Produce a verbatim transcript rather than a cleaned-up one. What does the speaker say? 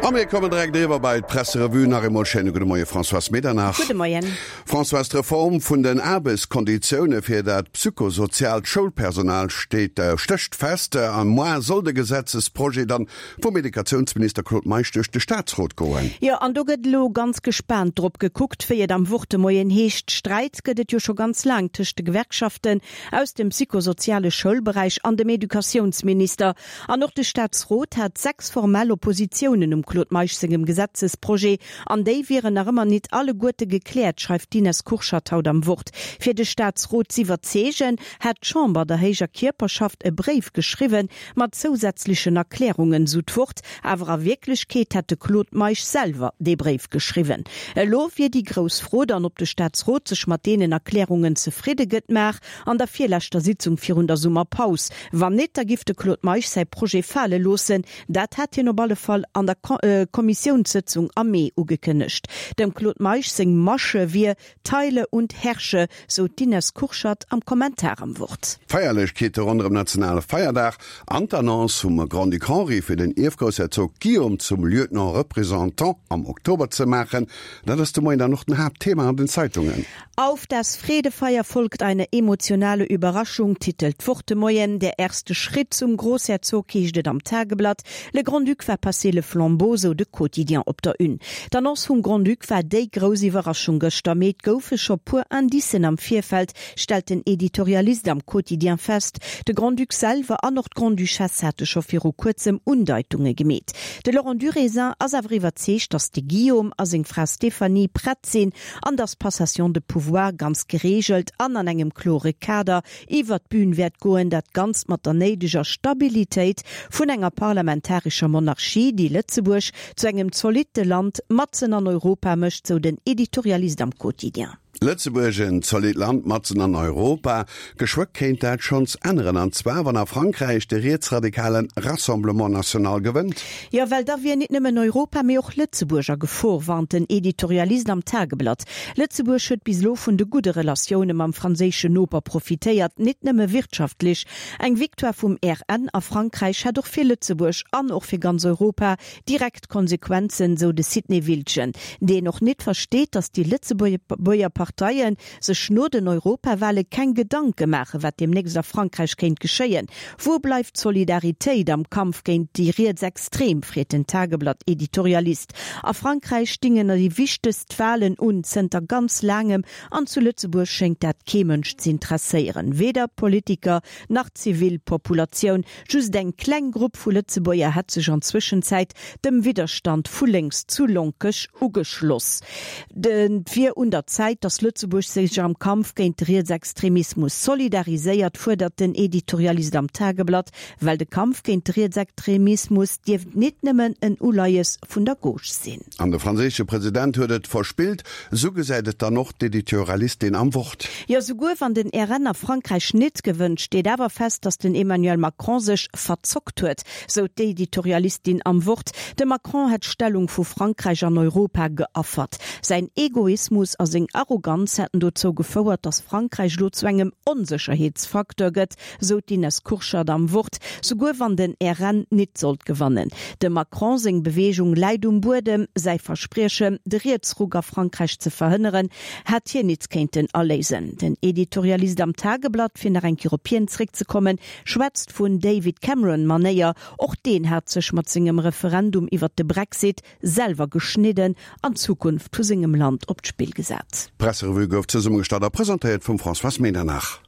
A mir kommen direkt eriwwer bei d'Presserevue. Nach eemol schéine gudde Moie Françoise Medernach. Gudde Moien. Françoise, d'Reform vun den Aarbechtskonditioune fir dat psychosoziaalt Schoulpersonal steet, stécht fest. Am Mois soll de Gesetzesprojet dann vum Educatiounsminister Claude Meisch duerch de Staatsrot goen. Jo, an do gëtt elo ganz gespaant drop gekuckt, wéi et am Wort de Moien heescht. Sträit gëtt et jo scho ganz laang tëscht de Gewerkschaften aus dem psychosoziale Schoulberäich an dem Educatiounsminister. An och de Staatsrot hat sechs formell Oppositiounen um Claude Meisch sengem Gesetzesprojet, an déi wieren nach ëmmer nit alleguerte gekläert, schreift d'Ines Kurschat haut am Wort. Fir de Staatsrot z'iwwerzeegen, hätt d'Chamber der héijer Kierperschaft e Bréif geschriwwen, mat zousätzlechen Erklärungen, sou d'Wort. Awer a Wierklechkeet hätt de Claude Meisch selwer dee Bréif geschriwwen. Elo wier déi grouss Fro dann, ob de Staatsrot sech mat deenen Erklärungen zefridde gëtt, mar an der virleschter Sitzung virun der Summerpaus. Wann nit, da giff de Claude Meisch säi Projet fale loossen. Dat hat hien op alle Fall an der Kommissiounssëtzung am Mee ugekënnegt. Dem Claude Meisch seng Masche wier Teile und herrsche, sou d'Ines Kurschat am Kommentar am Wort. D'Feierlechkeete ronderëm nationale Feierdag an d'Annonce vum Grand-Duc Henri fir den Ierfgroussherzog Guillaume zum Lieutenant représentant am Oktober ze maachen, dat ass de Moien dann och den Haaptthema an den Zeitungen. Auf das Fredefeier folgt eine emotionale Überraschung, titelt d'Wort de Moien. Der erste Schritt zum Großherzog, heescht et am Tageblatt. Le Grand-Duc va passer le flambeau, sou de Quotidien op der Une. D'Annonce vum Grand-Duc war déi grouss Iwwerraschung gëschter, mee et goufe scho puer Indicen am Virfeld, stellt den Editorialist am Quotidien fest. De Grand-Duc selwer an och d'Grande-Duchesse hate scho viru kuerzem Undeitunge gemeet. De Laurent Durézin ass awer iwwerzeegt, datt de Guillaume a seng Fra Stéphanie prett sinn an datt d'Passation de pouvoir ganz gereegelt an an engem klore Kader iwwert d'Bün wäert goen, dat Ganzt mat der néideger Stabilitéit vun enger parlamentarescher Monarchie, déi Lëtzebuerg zu engem zolitte Land matzen an Europa mécht, sou den Editorialist am Quotidien. Lëtzebuerg, en zolitt Land matzen an Europa. Geschwë kéint dat schonns änneren, an zwar wann a Frankräich de rietsradikale Rassemblement National gewënnt. Jo, well da wier nit nëmmen Europa, mee och Lëtzebuerg a Gefor, warnt den Editorialist am Tageblatt. Lëtzebuerg huet bis elo vun de gudde Relatioune mam franséischen Noper profitéiert, nit nëmme wirtschaftlech. Eng Victoire vum R N a Frankräich hätt och fir Lëtzebuerg an och fir ganz Europa direkt Konsequenzen, sou de Sidney Wiltgen, deen och nit versteet, datt déi Lëtzebuerger Parteie sech no den Europawale keng Gedanke maachen, wat deemnächst a Frankräich kéint geschéien. Wou bleift d'Solidaritéit am Kampf géint déi Rietsextrem, freet den Tageblatt-Editorialist. A Frankräich stingen déi wichtegst Walen un zënter ganz laangem an zu Lëtzebuerg schéngt dat kee Mënsch z'interesséieren, weder Politiker nach d'Zivilpopulatioun. Just eng kleng Grupp vu Lëtzebuerger hätt sech an Zwëschenzäit dem Widderstand vu lénks zu Lonkech ugeschloss. Et wier un der Zäit, datt Lëtzebuerg sech am Kampf géint de Rietsextremismus solidariséiert, fuerdert den Editorialist am Tageblatt, well de Kampf géint de Rietsextremismus dierft nit nëmmen en Uleies vun der Gauche sinn. An de franséische President huet et verspillt, esou gesäit et dann och d'Editorialistin am Wort. Jo, souguer wann den R N a Frankräich nit gewënnt, steet awer fest, datt den Emmanuel Macron sech verzockt huet, sou d'Editorialistin am Wort. De Macron hätt d'Stellung vu Frankräich an Europa geaffert. Säin Egoismus a seng Arroganz hätten dozou gefouert, datt Frankräich elo zu engem Onsécherheetsfacteur gëtt, sou d'Ines Kurschat am Wort, souguer wann den R N nit sollt gewannen. Dem Macron seng Beweegung läit um Buedem, säi Verspriechen, de Rietsruck a Frankräich ze verhënneren, hätt hien nit kéinten aléisen. Den Editorialist am Tageblatt, fir nach eng Kéier op hien zréckzekommen, schwätzt vun David Cameron-Manéier. Och deen hat sech mat sengem Referendum iwwert de Brexit selwer geschnidden an d'Zukunft vu sengem Land op d'Spill gesat. D'Presserevue gouf zesummegestallt a presentéiert vum Françoise Medernach.